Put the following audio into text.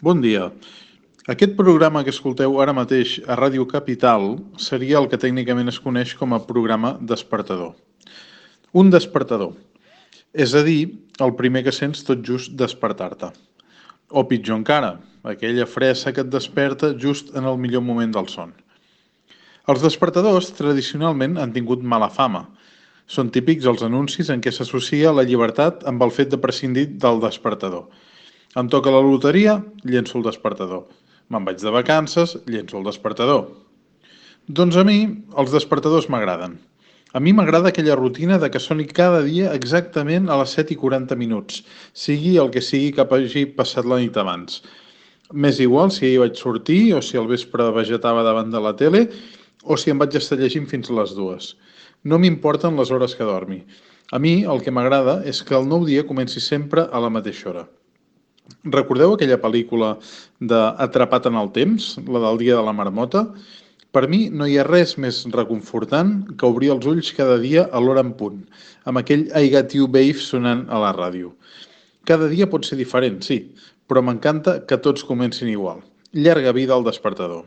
Bon dia. Aquest programa que escolteu ara mateix a Ràdio Capital seria el que tècnicament es coneix com a programa despertador. Un despertador, és a dir, el primer que sents tot just despertar-te. O pitjor encara, aquella fressa que et desperta just en el millor moment del son. Els despertadors tradicionalment han tingut mala fama. Són típics els anuncis en què s'associa la llibertat amb el fet de prescindir del despertador. Em toca la loteria, llenço el despertador. Me'n vaig de vacances, llenço el despertador. Doncs a mi els despertadors m'agraden. A mi m'agrada aquella rutina de que soni cada dia exactament a les 7:40, sigui el que sigui que hagi passat la nit abans. M'és igual si ahir vaig sortir o si al vespre vegetava davant de la tele o si em vaig estar llegint fins a les 2. No m'importen les hores que dormi. A mi el que m'agrada és que el nou dia comenci sempre a la mateixa hora. Recordeu aquella pel·lícula d'Atrapat en el temps, la del dia de la marmota? Per mi no hi ha res més reconfortant que obrir els ulls cada dia a l'hora en punt, amb aquell I Got You Babe sonant a la ràdio. Cada dia pot ser diferent, sí, però m'encanta que tots comencin igual. Llarga vida al despertador.